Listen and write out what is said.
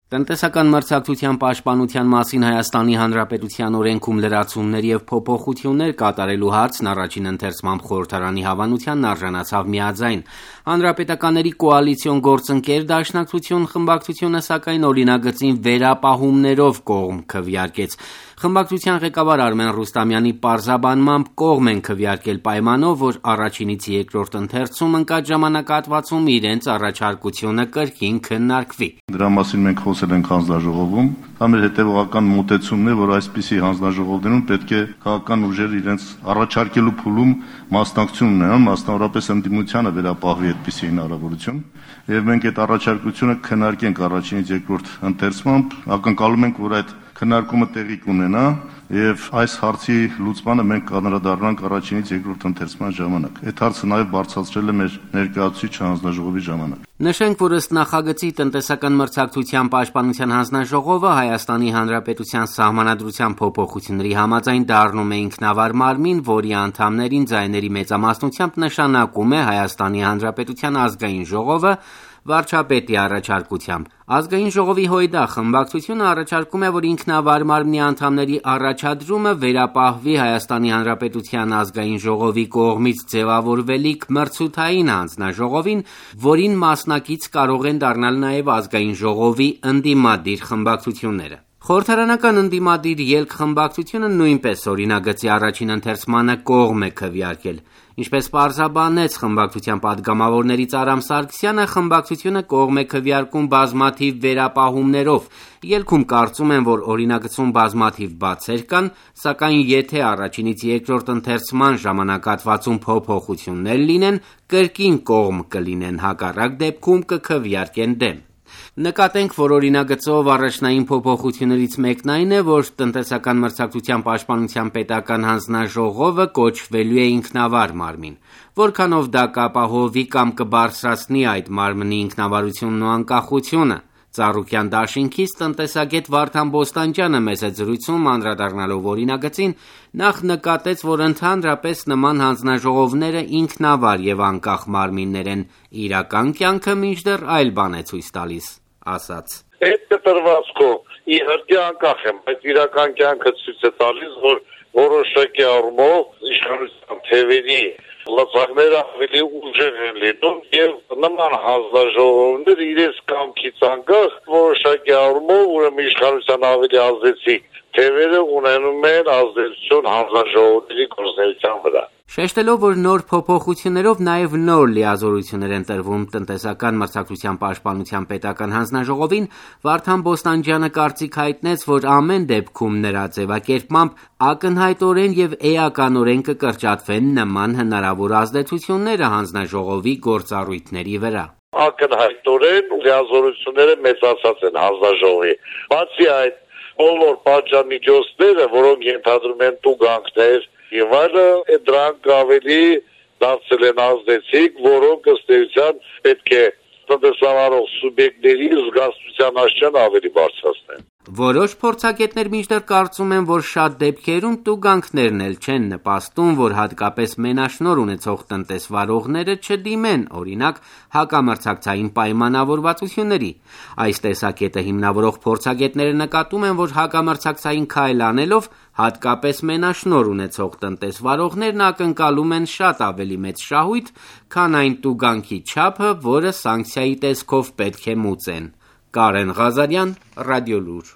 Տնտեսական մրցակցության պաշտպանության մասին Հայաստանի Հանրապետության օրենքում լրացումներ և փոփոխություններ կատարելու հարցն առաջին ընթերցմամբ խորհրդարանի հավանությանն արժանացավ միաձայն։ Հանրապետականների կոալիցիոն գործընկեր Դաշնակցություն խմբակցությունը սակայն օրինագծին վերապահումներով կողմ քվեարկեց։ Խմբակցության ղեկավար Արմեն Ռուստամյանի պարզաբանմամբ կողմ են քվեարկել պայմանով, որ առաջինից երկրորդ ընթերցում ընկած ժամանակահատվածում իրենց առաջարկությունը կրկին քննարկվի։ Դրա մասին մենք խոսել ենք հանձնաժողովում, դա մեր հետևողական մոտեցումն է, որ այսպիսի հանձնաժողովներում պետք է քաղաքական ուժերը իրենց առաջարկելու փուլում մասնակցություն ունենան, մասնավորապես ընդդիմությանը վերապահվի այդպիսի հնարավորություն, եւ մենք այդ առաջարկությունը քննարկենք առաջինից երկրորդ ընթերցմամբ, ակնկալում ենք, որ այդ քննարկումը տեղի կունենա եւ այս հարցի լուծմանը մենք կանդրադառնանք առաջինից երկրորդ ընթերցման ժամանակ։ Այդ հարցը նաեւ բարձրացրել է մեր ներկայացուցիչ հանձնաժողովի ժամանակ։ Նշենք, որ ըստ նախագծի տնտեսական մրցակցության պաշտպանության հանձնաժողովը Հայաստանի Հանրապետության սահմանադրության փոփոխությունների համաձայն դառնում է ինքնավար մարմին, որի անդամներին ձայների մեծամասնությամբ նշանակում է Հայաստանի Հանրապետության ազգային ժողովը վարչապետի առաջարկությամբ։ Ազգային ժողովի ՀՅԴ խմբակցությունը առաջարկում է, որ ինքնավար մարմնի անդամների առաջադրումը վերապահվի Հայաստանի Հանրապետության ազգային ժողովի կողմից ձևավորվելիք մրցութային հանձնաժողովին, որին մասնակից կարող են դառնալ նաև ազգային ժողովի ընդդիմադիր խմբակցությունները։ Խորհրդարանական ընդդիմադիր ելք խմբակցությունը նույնպես օրինագծի առաջին ընթերցմանը կողմ է քվեարկել։ Ինչպես պարզաբանեց խմբակցության պատգամավորներից Արամ Սարգսյանը, խմբակցությունը կողմ է քվեարկում բազմաթիվ վերապահումներով։ Ելքում կարծում են, որ օրինագծում բազմաթիվ բացեր կան, սակայն եթե առաջինից երկրորդ ընթերցման ժամանակահատվածում փոփոխություններ լինեն, կրկին կողմ կլինեն, հակառակ դեպքում կքվեարկեն դեմ։ Նկատենք, որ օրինագծով առաջնային փոփոխություններից մեկն այն է, որ տնտեսական մրցակցության պաշտպանության պետական հանձնաժողովը կոչվելու է ինքնավար մարմին։ Որքանով դա կապահովի կամ կբարձրացնի այդ մարմնի ինքնավարությունն ու անկախությունը։ Ծառուկյան դաշինքից տնտեսագետ Վարդան Բոստանջյանը մեծ զրույցում անդրադառնալով օրինագծին նախ նկատեց, որ ընդհանրապես նման հանձնաժողովները ինքնավար եւ անկախ մարմիններ են, իրական կյանքը մինչդեռ այլ բան է ցույց տալիս, ասաց. Այդ կտրվածքով իհարկե անկախ եմ, բայց իրական կյանքը ցույց է տալիս, որ որոշակի առումով իշխանության թևերի լծակները ավելի ուժեղ են լինում եւ նման հանձնաժողովներ իրենց կամքից անկախ որոշակի առումով ուրեմն իշխանության ավելի ազդեցիկ թևերը ունենում են ազդեցություն հանձնաժողովների գործունեության վրա։ Շեշտելով, որ նոր փոփոխություններով նաև նոր լիազորություններ են տրվում տնտեսական մրցակցության պաշտպանության պետական հանձնաժողովին, Վարդան Բոստանջյանը կարծիք հայտնեց, որ ամեն դեպքում նրա ձևակերպմամբ ակնհայտորեն եւ էականորեն կկրճատվեն նման հնարավոր ազդեցությունները հանձնաժողովի գործառույթների վրա։ Ակնհայտորեն լիազորությունները մեծացած են հանձնաժողովի։ Բացի այդ, բոլոր պատժամիջոցները, որոնք ենթադրում են տուգանքներ եւ այլը, դրանք ավելի դարձել են ազդեցիկ, որոնք ըստ էության պետք է տնտեսավարող սուբյեկտների զգացության աշխարհն ավելի բարձրացնեն։ Որոշ փորձագետներ մինչդեռ կարծում են, որ շատ դեպքերում տուգանքներն էլ չեն նպաստում, որ հատկապես մենաշնորհ ունեցող տնտեսվարողները չդիմեն, օրինակ, հակամրցակցային պայմանավորվածությունների։ Այս տեսակետը հիմնավորող փորձագետները նկատում են, որ հակամրցակցային քայլ անելով հատկապես մենաշնորհ ունեցող տնտեսվարողներն ակնկալում են շատ ավելի մեծ շահույթ, քան այն տուգանքի չափը, որը սանկցիայի տեսքով պետք է մուծեն։ Կարեն Ղազարյան, Ռադիոլուր։